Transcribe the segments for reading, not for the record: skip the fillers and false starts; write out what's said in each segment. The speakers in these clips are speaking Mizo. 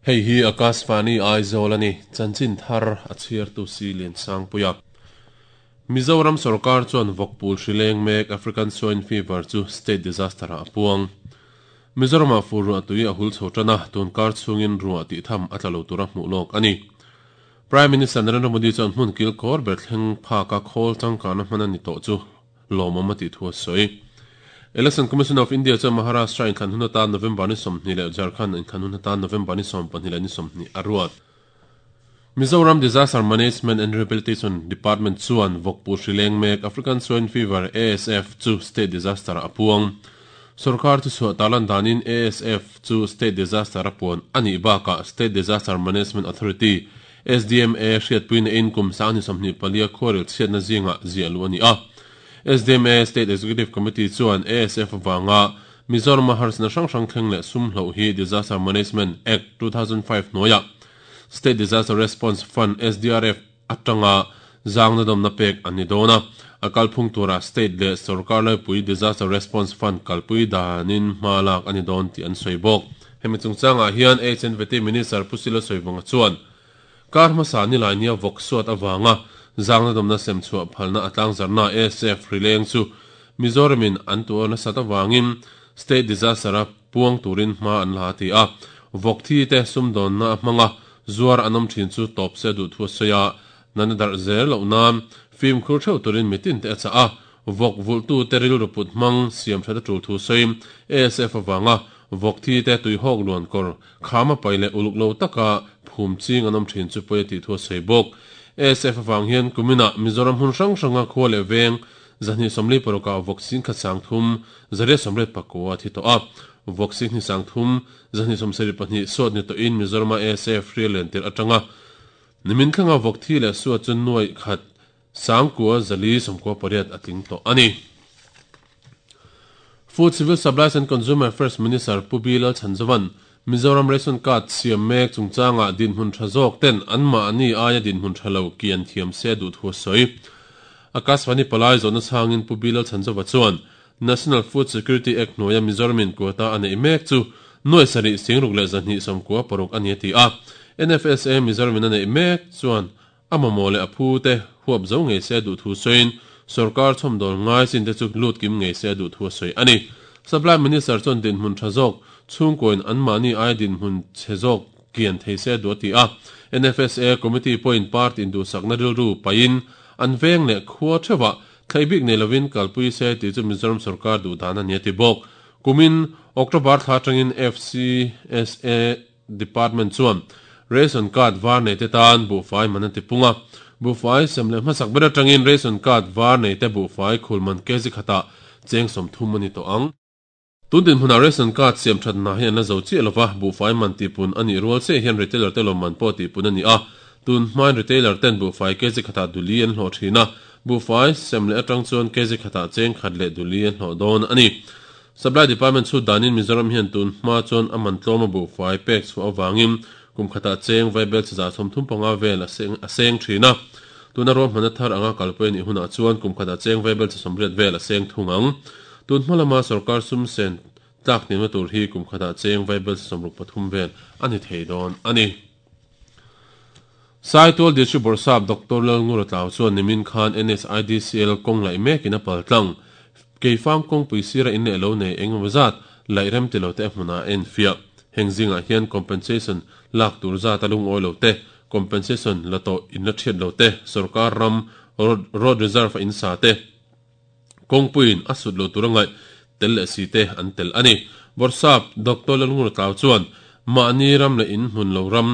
Hei hi Akashvani Aizawl a ni, chanchin thar a chhiartu si Liansangpuia. Mizoram sorkar chuan vawkpul hri leng mek African Swine Fever chu state disaster ah a puang. Mizoramah fur ruah tui a hul chho tan a, tun kar chhungin ruah tih tham a tla lo tura hmuh lawk a ni. Prime Minister Narendra Modi chuan hmun kil kawr ber thleng phaka khawl changkana hman a ni tawh chu lawmawm a tih thu a sawi. Election Commission of India chuan Maharashtra inthlan hun atan November ni 20 leh Jharkhand inthlan hun atan November ni 24 leh ni 20 a ruat. Mizoram Disaster Management and Rehabilitation Department chuan vawkpur hri leng mek African Swine Fever, ASF, chu state disaster ah a puang. Sorkar thuchhuah tarlan danin ASF chu state disaster a puan a nih bakah State Disaster Management Authority, SDMA, hriatpui neiin kum 2024 khuarel chhiatna zingah ziah luh a ni a. SDMA State Executive Committee chuan ASF avanga Mizorama harsatna hrang hrang thleng leh sum hloh hi Disaster Management Act, 2005 hnuaiah State Disaster Response Fund, SDRF, atanga zangna dawmna pek an ni dawn a. A kalphung turah State leh Sorkar laipui Disaster Response Fund kalpui danin hma lak a ni dawn tih an sawi bawk. Hemi chungchangah hian HNVT Minister Pu Silo Sawivunga chuan, Kar hmasa nilai nia vawk suat avanga zangna dawmna sem chhuah phalna a tlangzarhna ASF rileng chu Mizoramin an tuar nasat avangin State Disaster-a puang turin hma an la a ti a. Vawk thi te sumdawnna a hmanga zuar an awm thin chu tawp se duh thu a sawi a, nana darh zel loh nan fimkhur theuh turin mitin te a chah a. Vawk vulhtute rilru put hmang siam that a tul thu sawiin ASF avanga vawk thi te tuihawk luan kawr kham a pai leh uluk lo taka phum ching an awm thin chu pawi a tih thu a sawi bawk. ASF avang hian kuminah Mizoram hmun hrang hranga khua leh veng 246 ah vawk 10,300 889 a thi tawh a, vawk 23,000 272 suat ni tawhin Mizorama ASF hrial len tirh atanga nimin thlenga vawk thi leh suat chu nuaih khat 9,498 a tling tawh a ni. Food Civil Supplies and Consumer Affairs Minister Pu B Lalchhanzova'n Mizoram Ration Card siam mek chungchangah dinhmun tha zawk ten anmahni aia dinhmun tha lo kian thiam se duh thu a sawi. Akashvani palai zawhna chhangin Pu B Lalchhanzova chuan National Food Security Act hnuaia Mizoramin quota a neih mek chu nuai sarih singruk leh 296 a ni a ti a. NFSA Mizoramin a neih mek chuan A mamawh leh a phu te huap zo ngei se a duh thu sawiin sorkar chhawmdawl ngai chin te chu lut kim ngei se a duh thu a sawi a ni. Supply Minister chuan dinhmun tha zawk chhungkawiin anmahni aia dinhmun chhe zawk kian thei se a duh a ti a. NFSA Committee pawhin party induhsakna rilru paihin an veng leh khua theuhah thlei bik nei lovin kalpui se tih chu Mizoram sorkar duh dan a ni a ti bawk. Kumin October thla atangin FCSA Department chuan Ration Card var neite tan buhfai man a ti pung a, buhfai sem leh hmasak ber atangin Ration Card var neite buhfai khul man kg khatah cheng 30 a ni tawh ang. Tun dinhmunah Ration Card siam thatna hi an la zo chiah lova, buhfai man tihpun a nih rual chiah hian retailer te lawmman pawh tihpun a ni a, tun hmain retailer ten buhfai kg khatah duli an hlawh thin a, buhfai sem leh atang chuan kg khatah cheng khat leh duli an hlawh dawn a ni. Supply Department chhut danin Mizoram hian tun hma chuan a man tlawm a buhfai pek chhuah avangin kum khatah cheng vaibel chi 35 vel a seng thin a. Tuna ruahmanna thar anga kalpui a nih hunah chuan kum khatah cheng vaibel chi 80 vel a seng thung ang. Tun hma lama sorkar sum sen tlak hniamna tur hi kum khatah cheng vaibel chi 63 vel a ni thei dawn a ni. Saitual District Bawrhsap Doctor Lalngura Tlau chuan nimin khan NSIDCL kawng laih mekin a pal tlang. Keifang kawngpui sira in leh lo nei eng emaw zat laih rem ti lo te a hmunah a enfiah. Heng zingah hian compensation lak tur zat a lungawi lo te, compensation la tawh in la thiat lo te, sorkar ram road reserve a in sa te, kawngpuiin a sut lo tur a ngaih tel leh si te an tel a ni. Bawrhsap Doctor Lalngura Tlau chuan mahni ram leh in hmun lo ram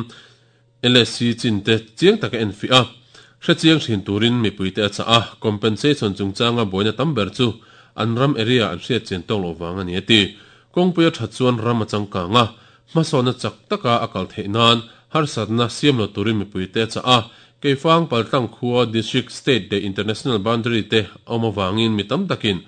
LSC chin te chiang taka enfiah a, hre chiang thin turin mipuite a chah a, compensation chungchanga buaina tam ber chu an ram area an hriat chian tawk loh vang a ni a ti. Kawngpui a that chuan ram a changkang a, hmasawnna chak taka a kal theih nan harsatna siam lo turin mipuite a chah a, Keifang Paltlang khua District, State leh International boundary te a awm avangin mi tam takin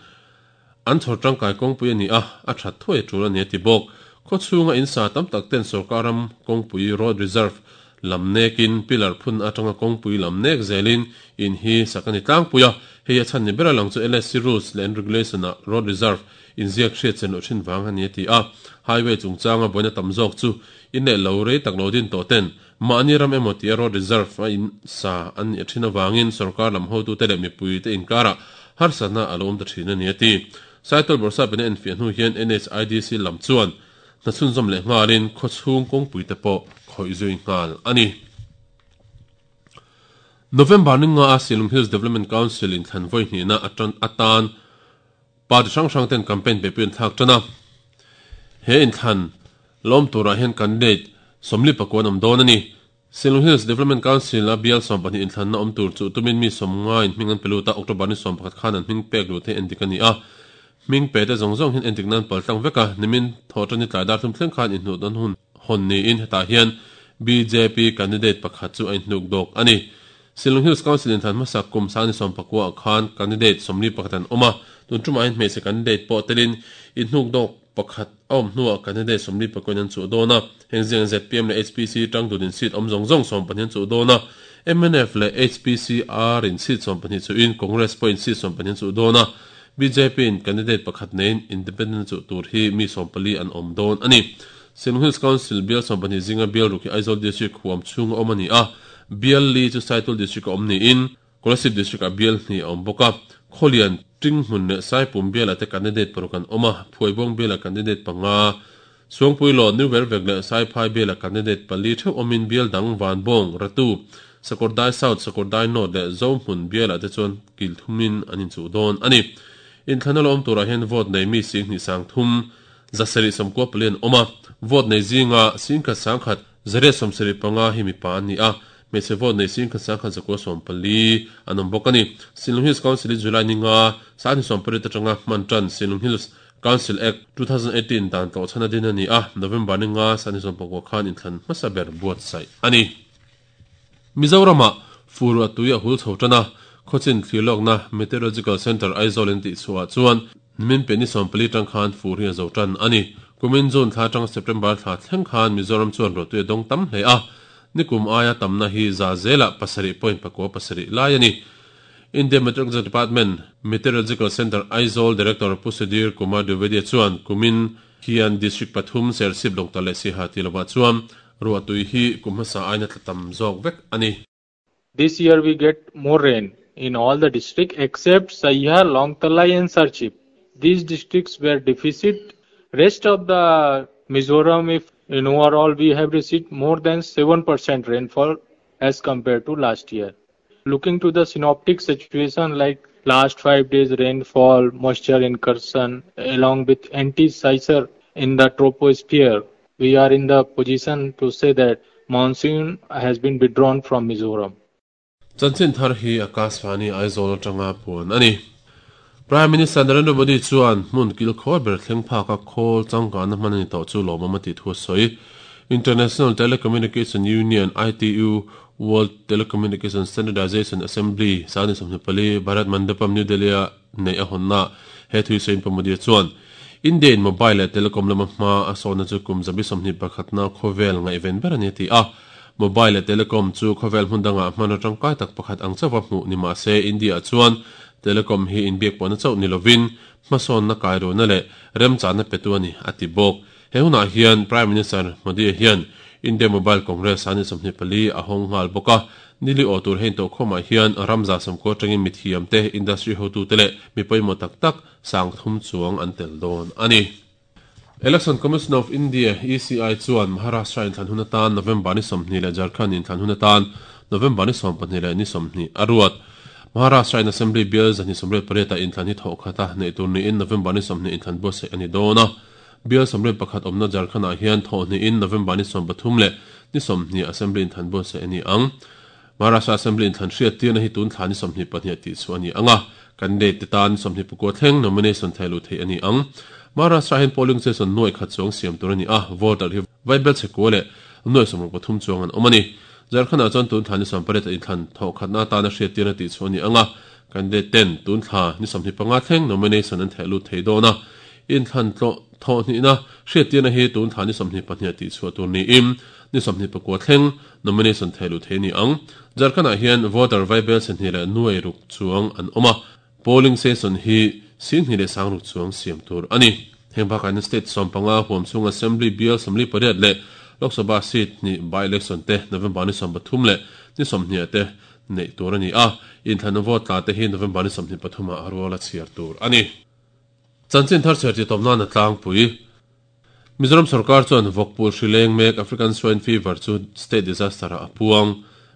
An chhawr tangkai kawngpui a ni a, a that thuai a tul a ni a ti bawk. Khaw chhunga in sa tam tak ten sorkar ram kawngpui, road reserve, lam nekin pillar phun atanga kawngpui lam nek zelin in hi sak a ni tlangpui a. Hei a chhan ni ber a lang chu LSC rules leh an regulation ah road reserve inziak hriat chen loh thin vang a ni a ti a. Highway chungchanga buaina tam zawk chu in leh lo rei tak lo din tawh ten mahni ram emaw tia road reserve a in sa an nih thin avangin sorkar lam hotute leh mipuite inkarah harsatna a lo awm ta thin a ni a ti. Saitual Bawrhsapin a enfiah hnu hian NHIDC lam chuan hna chhunzawm leh nghalin khawchhung kawngpuite pawh khawih zui nghal a ni. November ni nga a Shillong Hills Development Council inthlan vawi hnihna atan party hrang hrang ten campaign beihpui an thlak tan a. He inthlan lawm turah hian candidate 44 an awm dawn a ni. Shillong Hills Development Council a bial 12 inthlanna awm tur chu tumin mi 90 in hming an pe lut a, October ni 11 khan an hming pek luh theih endik a ni a. Hming pe te zawng zawng hian endik nan pal tlang vek a, nimin thawhṭan ni tlai dar thum thleng khan inhnuh dawn hun hawn niin hetah hian bjp candidate pakhat chu a inhnuk dawk a ni. Shillong Hills Council inthlan hmasak kum sangni 19 ah khan candidate 41 an awm a, tun ṭumah hian hmeichhe candidate pawh telin inhnuk dawk pakhat a awm hnuah candidate 44 in an chuh dawn a, heng zingah zpm leh HPC tangdun in seat awm zawng zawng 12 an chuh dawn a, mnf leh HPCR in seat 12 chuhin Congress pawhin seat 12 an chuh dawn a, bjp in candidate pakhat neiin independent chuh tur hi mi 14 an awm dawn a ni. Shillong Hills Council bial 12 zinga bial ruk hi Aizawl District huam chhunga awm a ni a, bial li chu Saitual District a awm niin Kolasib District ah bial hnih a awm bawk a, Khawlian, Tinghmun leh Saipum bialah te candidate paruk an awm a, Phuaibawng bialah candidate panga, Suangpuilaw, New Vervek leh Saiphai bialah candidate pali theuh awmin bial dang Vanbawng, Ratu, Sakawrdai South, Sakawrdai North leh Zohmun bialah te chuan kil thumin an inchuh dawn a ni. Inthlanna la awm turah hian vote nei mi 23 794 an awm a, vote nei zinga 10,100 875 hi mipa an ni a, hmeichhe vote nei 11,914 an awm bawk a ni. Shillong Hills Council hi July ni nga, 28 atanga hman tan Shillong Hills Council Act, 2018 dan tlawh chhan a din a ni a, November ni nga, 29 khan inthlan hmasa ber buatsaih a ni. Mizoramah fur a tui a hul chho tan a, khawchin thlirlawkna Meteorological Centre Aizawl in tihchhuah chuan nimin pe ni 14 tang khan fur hi a zo tan a ni. Kumin June thla atanga September thla thleng khan Mizoram chuan ruahtui a dawng tam hle a, nikum aia tamna hi za zelah pasarih point pakua pasarih lai a ni. India Meteorological Department Meteorological Centre Aizawl Director Pu Sudhir Kumar Dwivedi chuan kumin hian District pathum Serchhip Lawngtlai leh Siaha tih lovah chuan ruahtui hi kum hmasa aina tla tam zawk vek a ni. This year we get more rain in all the district except Saiha, Lawngtlai and Serchhip. These districts were deficit. Rest of the Mizoram, if in overall we have received more than 7% rainfall as compared to last year. Looking to the synoptic situation like last 5 days rainfall, moisture incursion along with anti-seisure in the troposphere, we are in the position to say that monsoon has been withdrawn from Mizoram. Chanchin thar hi Akashvani Aizawl atanga puan a ni. Prime Minister Narendra Modi chuan hmun kil khawr ber thleng phaka khawl changkanna hman a ni tawh chu lawmawm a tih thu a sawi. International Telecommunication Union, ITU, World Telecommunication Standardization Assembly sani 24 Bharat Mandapam New Delhi a neih a hawnna he thui sawiin Pu Modi chuan India in mobile leh telecom lama hma a sawna chu kum zabi 21 na khawvel ngaihven ber a ni a ti a. Mobile leh telecom chu khawvel hmun dangah hman atangkai tak pakhat ang chauha hmuh ni mahse India chuan telecom hi inbiak pawhna chauh ni lovin hmasawnna kairuna leh remchana petu a ni a ti bawk. He hunah hian Prime Minister Modi hian India Mobile Congress ani 24 a hawng nghal bawk a, nili aw tur hein tawh khawmah hian ramza sawmkua atangin mithiam te, industry hotu te leh mi pawimawh tak tak 3000 chuang an tel dawn a ni. Election Commission of India, ECI, chuan Maharashtra inthlan hun atan November ni 20 leh Jharkhand inthlan hun atan November ni 12 leh ni 20 a ruat. Maharashtra in Assembly bial 288 ah inthlan hi thawh khat a neih tur niin November ni 20 inthlan buatsaih a ni dawn a. Bial 81 awmna Jharkhand ah hian thawh hnihin November ni 13 leh ni 20 Assembly inthlan buatsaih a ni ang. Maharashtra Assembly inthlan hriat tirna hi tun thla ni 22 tih chu a ni ang a, candidate te tan ni 29 thleng nomination theh luh theih a ni ang. Maharashtra hian polling station nuai khat chuang siam tur a ni a, voter hi vaibel chhekua leh nuai 63 chuang an awm a ni. Jharkhand ah chuan tun thla ni 18 ah inthlan thawh khatna atana hriat tirna tih chu a ni ang a, candidate ten tun thla ni 25 thleng nomination an theh lut thei dawn a. Inthlan tlawh thawh hnihna hriat tirna hi tun thla ni 22 tih chhuah tur niin. ni 29 thleng nomination thehluh theih a ni ang. Jharkhand-ah hian voter vaibelchhe hnih leh nuai ruk chuang an awm a, polling station hi 26,000 chuang siam tur a ni. Heng bakah hian state 15 huam chhung Assembly bial 48 leh Lok Sabha seat hnih by-election te November ni 13 leh ni 20 ah te neih tur a ni a, inthlanna vote tla te hi November ni 23 ah rual a chhiar tur a ni. Chanchin thar chhiar tih tawp nan a tlangpui. Mizoram sorkar chuan vawkpul hri leng mek African Swine Fever chu state disaster ah a puang.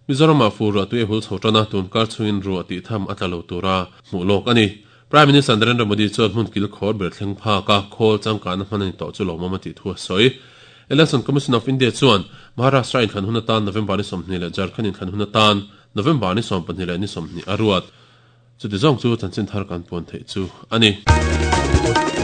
Mizoramah fur ruah tui a hul chho tan a, tun kar chhungin ruah tih tham a tla lo tura hmuh lawk a ni. Prime Minister Narendra Modi chuan hmun kil khawr ber thleng phak a, khawl changkahna hman a ni tawh chu lawmawm a tih thu a sawi. Election Commission of India chuan Maharashtra inthlan hun atan November ni 20 leh Jharkhand inthlan hun atan November ni 12 leh ni 20 a ruat. Chuti zawng chu chanchin thar kan puan theih chu a ni.